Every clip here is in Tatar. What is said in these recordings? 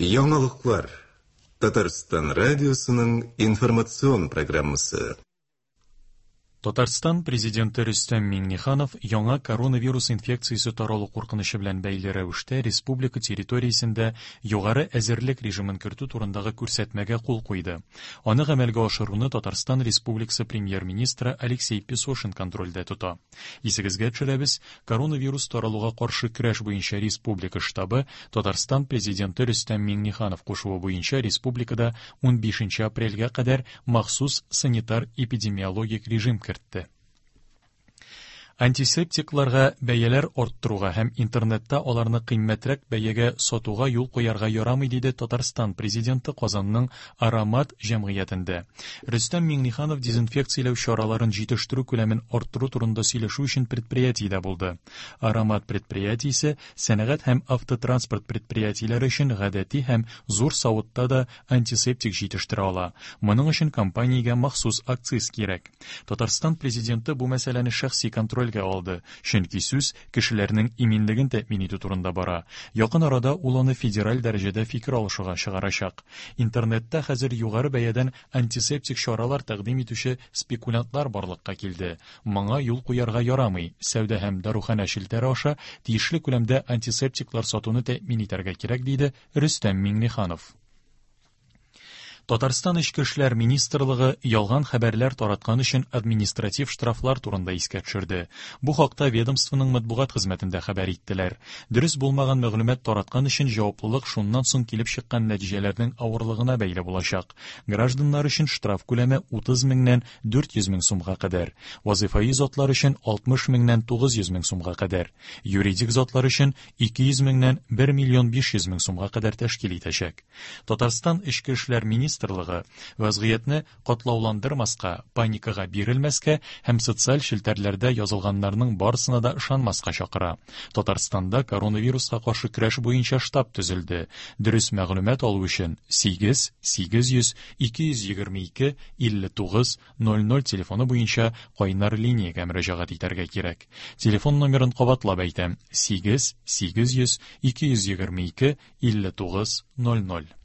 Яңалыклар. Татарстан радиосының информацион программасы. Татарстан Президенты Рөстәм Миңнеханов яңа коронавирус инфекциясе таралу куркынычы белән бәйле рәвештә республика территориясендә югары әзерлек режимын кертү турындагы күрсәтмәгә кул куйды. Аны гамәлгә ашыруны Татарстан Республикасы Премьер-министры Алексей Песошин контрольдә тота. Исегезгә төшерәбез, коронавирус таралуга каршы көрәш буенча республика штабы Татарстан Президенты Рөстәм Миңнеханов кушуы буенча республикада 15 апрельгә кадәр махсус санитар-эпидемиологик режим кертте. Антисептикларга бәяләр арттыруга һәм интернетта аларны кыйммәтрәк бәягә сатуга юл куярга ярамый, диде Татарстан Президенты Казанның Аромат җәмгыятендә. Рөстәм Миңнеханов дезинфекцияләү чараларын җитештерү күләмен арттыру турында сөйләшү өчен предприятиедә булды. Аромат предприятиесе сәнәгать һәм автотранспорт предприятиеләре өчен гадәти һәм зур савытта да антисептик җитештерә ала. Моның өчен компаниягә махсус акциз кирәк. Татарстан Президенты бу мәсьәләне шәхси контрольгә алды, чөнки сүз кешеләрнең иминлеген тәэмин итү турында бара. Якын арада ул аны федераль дәрәҗәдә фикер алышуга чыгарачак. Интернетта хәзер югары бәядән антисептик чаралар тәкъдим итүче спекулянтлар барлыкка килде. Моңа юл куярга ярамый. Сәүдә һәм даруханә челтәре аша тиешле күләмдә антисептиклар сатуны тәэмин итәргә кирәк, диде Рөстәм Миңнеханов. Татарстан Эчке эшләр министрлыгы ялган хәбәрләр тараткан өчен административ штрафлар турында искә төшерде. Бу хакта ведомствоның матбугат хезмәтендә хәбәр иттеләр. Дөрес булмаган мәгълүмат тараткан өчен җаваплылык шуннан соң килеп чыккан нәтиҗәләрнең авырлыгына бәйле булачак. Гражданнар өчен штраф күләме 30 меңнән 400 мең сумга кадәр, вазыйфаи затлар өчен 60 меңнән 900 мең сумга кадәр, юридик затлар өчен 200 меңнән 1 миллион 500 мең сумга кадәр тәшкил итәчәк. Татарстан Эчке эшләр министрлыгы вазгыятьне катлауландырмаска, паникага бирелмәскә һәм социаль челтәрләрдә язылганнарның барысына да ышанмаска чакыра. Татарстанда коронавируска каршы көрәш буенча штаб төзелде. Дөрес мәгълүмат алу өчен 8 800 222 59 00 телефоны буенча кайнар линиягә мөрәҗәгать итәргә кирәк. Телефон номерын кабатлап әйтәм: 8 800 222 59 00.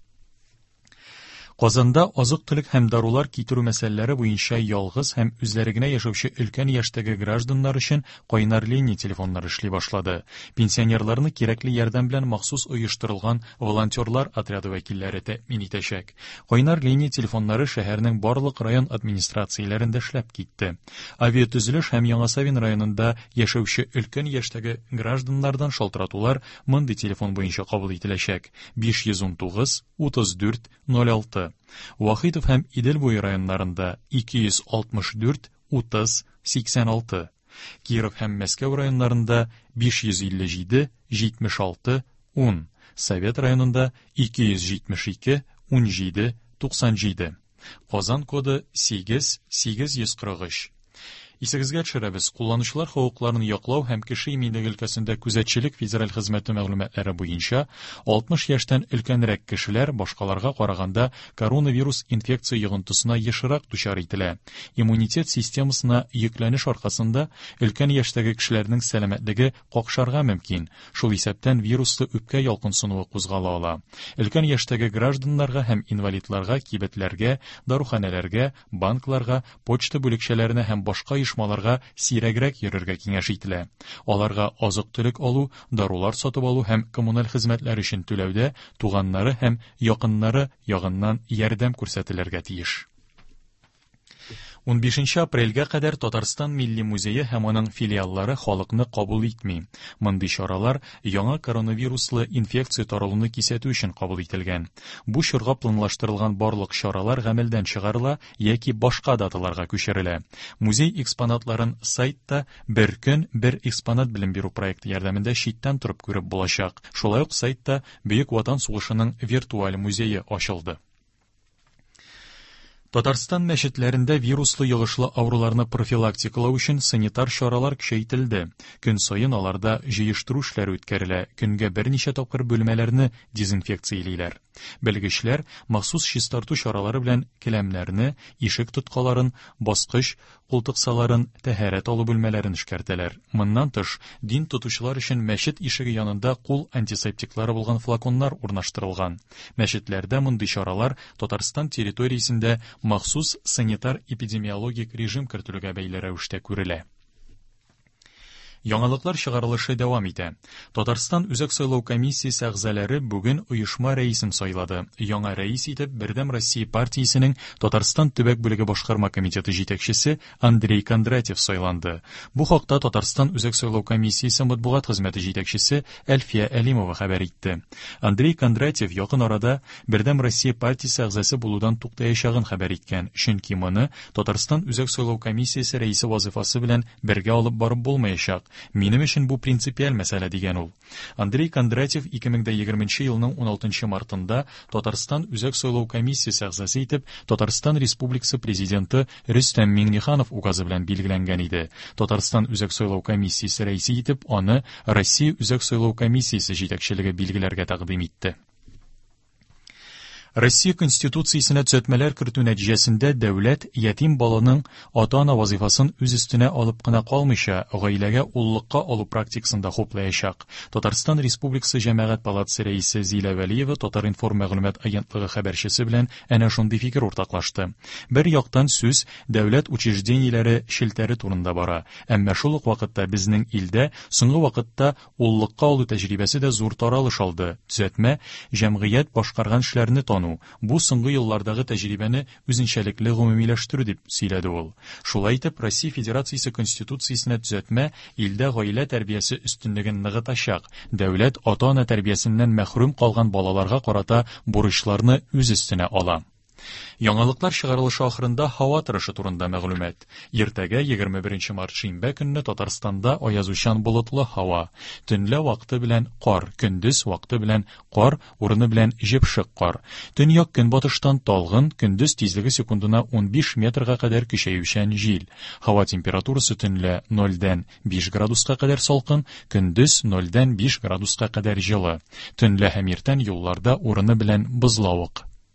Казанда азык-төлек һәм дарулар китерү мәсьәләләре буенча ялгыз һәм үзләре генә яшәүче өлкән яшьтәге гражданнар өчен кайнар линия телефоннары эшли башлады. Пенсионерларны кирәкле ярдәм белән махсус оештырылган волонтерлар отряды вәкилләре тәэмин итәчәк. Кайнар линия телефоннары шәһәрнең барлык район администрацияләрендә эшләп китте. Авиатөзелеш һәм Яңа Савин районында яшәүче өлкән яшьтәге гражданнардан шалтыратулар мондый телефон буенча кабул ителәчәк: 519 34 06. Вахитов һәм Идел буе районнарында 264 30 86. Киров һәм Мәскәү районнарында 557 76 10. Совет районында 272 17 97. Казан коды 8 843. Исегезгә төшерәбез, кулланучылар хокукларын яклау һәм кеше иминлеге өлкәсендә күзәтчелек федераль хезмәте мәгълүматлары буенча 60 яшьтән өлкәнрәк кешеләр башкаларга караганда коронавирус инфекция йогынтысына ешрак дучар ителә. Иммунитет системасына йөкләнеш аркасында өлкән яшьтәге кешеләрнең сәламәтлеге какшарга мөмкин. Шул исәптән вируслы үпкә ялкынсынуы кузгала ала. Өлкән яшьтәге гражданнарга һәм инвалидларга кибетләргә, даруханәләргә, банкларга, почта бүлекчәләренә һәм башка оешмаларга сирәгрәк йөрергә киңәш ителә. Аларга азык-төлек алу, дарулар сатып алу һәм коммуналь хезмәтләр өчен түләүдә туганнары һәм якыннары ягыннан ярдәм күрсәтелергә тиеш. 15 апрельгә кадәр Татарстан Милли музее һәм аның филиаллары халыкны кабул итми. Мондый чаралар яңа коронавируслы инфекция таралуны кисәтү өчен кабул ителгән. Бу чорга планлаштырылган барлык чаралар гамәлдән чыгарыла яки башка даталарга күчерелә. Музей экспонатларын сайтта бер көн бер экспонат белем бирү проекты ярдәмендә читтән торып күреп булачак. Шулай ук сайтта Бөек Ватан сугышының виртуаль музее ачылды. Татарстан мәчетләрендә вируслы йогышлы авыруларны профилактикалау өчен санитар чаралар көчәйтелде. Көн саен аларда җыештыру эшләре үткәрелә, көнгә берничә тапкыр бүлмәләрне дезинфекциялиләр. Белгечләр махсус чистарту чаралары белән келәмнәрне, ишек тоткаларын, баскыч, култыксаларын, тәһарәт алу бүлмәләрен эшкәртәләр. Моннан тыш, дин тотучылар өчен мәчет ишеге янында кул антисептиклары булган флаконнар урнаштырылган. Мәчетләрдә мондый чаралар Татарстан территориясендә махсус санитар-эпидемиологик режим кертелүгә бәйле рәвештә күрелә. Яңалыклар чыгарылышы дәвам итә. Татарстан Үзәк сайлау комиссиясе әгъзалары бүген оешма рәисен сайлады. Яңа рәис итеп Бердәм Россия партиясенең Татарстан төбәк бүлеге башкарма комитеты җитәкчесе Андрей Кондратьев сайланды. Бу хакта Татарстан Үзәк сайлау комиссиясе матбугат хезмәте җитәкчесе Әлфия Әлимова хәбәр итте. Андрей Кондратьев якын арада Бердәм Россия партиясе әгъзасы булудан туктаячагын хәбәр иткән, чөнки моны Татарстан Үзәк сайлау комиссиясе рәисе вазыйфасы белән бергә алып барып булмаячак. Минем өчен бу принципиаль мәсьәлә, дигән ул. Андрей Кондратьев 2020 елның 16 мартында Татарстан Үзәк сайлау комиссиясе әгъзасы итеп Татарстан Республикасы Президенты Рөстәм Миңнеханов указы белән билгеләнгән иде. Татарстан Үзәк сайлау комиссиясе рәисе итеп аны Россия Үзәк сайлау комиссиясе җитәкчелеге билгеләргә тәкъдим итте. Россия Конституциясенә төзәтмәләр кертү нәтиҗәсендә дәүләт ятим баланың ата-ана вазыйфасын үз өстенә алып кына калмыйча, гаиләгә уллыкка алу практикасын да хуплаячак. Татарстан Республикасы Җәмәгать палатасы рәисе Зилә Вәлиева Татар-информ мәгълүмат агентлыгы хәбәрчесе белән әнә шундый фикер уртаклашты. Бер яктан сүз дәүләт учреждениеләре челтәре турында бара, әмма шул ук вакытта безнең илдә соңгы вакытта Уллыкка алу тәҗрибәсе дә зур таралыш алды. Төзәтмә, җәмгыять башкарган эшләрне тану, бу соңгы еллардагы тәҗрибәне үзенчәлекле гомумиләштерү, дип сөйләде ул. Шулай итеп, Россия Федерациясе Конституциясенә төзәтмә илдә гаилә тәрбиясе өстенлеген ныгытачак, дәүләт ата-ана тәрбиясеннән мәхрүм калган балаларга карата бурычларны үз өстенә ала. Яңалыклар чыгарылышы ахырында һава торышы турында мәгълүмат. Иртәгә 21 март шимбә көнне Татарстанда аязучан болытлы һава. Төнлә вакыты белән кар, көндез вакыты белән кар, урыны белән җепшек кар. Төньяк көнбатыштан талгын, көндез тизлеге секундына 15 метрга кадәр көчәючән җил. Һава температурасы төнлә 0-дән 5 градуска кадәр салкын, көндез 0-дән 5 градуска кадәр җылы. Төнлә һәм иртән юлларда урыны белән бозлавык.